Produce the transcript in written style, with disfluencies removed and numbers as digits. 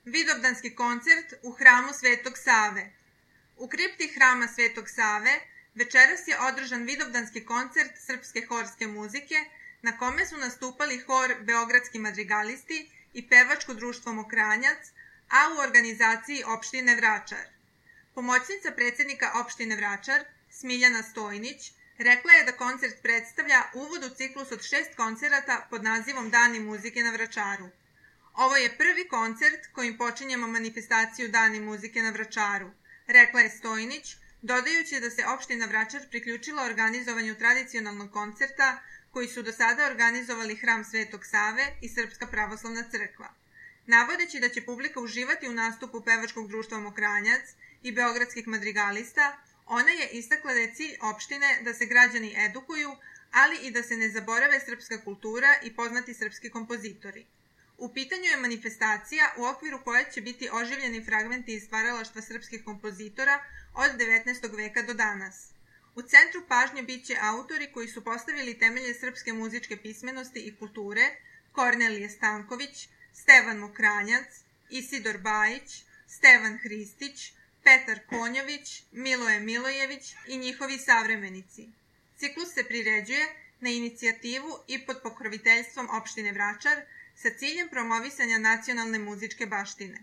Vidovdanski koncert u hramu Svetog Save. U kripti hrama Svetog Save večeras je održan vidovdanski koncert srpske horske muzike na kome su nastupali hor Beogradski madrigalisti i pevačko društvo Mokranjac, a u organizaciji opštine Vračar. Pomoćnica predsjednika opštine Vračar, Smiljana Stojnić, rekla je da koncert predstavlja uvod u ciklus od 6 koncerata pod nazivom Dani muzike na Vračaru. Ovo je prvi koncert kojim počinjemo manifestaciju Dani muzike na Vračaru, rekla je Stojnić, dodajući da se opština Vračar priključila organizovanju tradicionalnog koncerta koji su do sada organizovali hram Svetog Save i Srpska pravoslavna crkva. Navodeći da će publika uživati u nastupu pevačkog društva Mokranjac i beogradskih madrigalista, ona je istakla da je cilj opštine da se građani edukuju, ali i da se ne zaborave srpska kultura i poznati srpski kompozitori. U pitanju je manifestacija u okviru koje će biti oživljeni fragmenti iz stvaralaštva srpskih kompozitora od 19. veka do danas. U centru pažnje bit će autori koji su postavili temelje srpske muzičke pismenosti i kulture, Kornelije Stanković, Stevan Mokranjac, Isidor Bajić, Stevan Hristić, Petar Konjović, Miloje Milojević i njihovi savremenici. Ciklus se priređuje na inicijativu i pod pokroviteljstvom opštine Vračar sa ciljem promovisanja nacionalne muzičke baštine.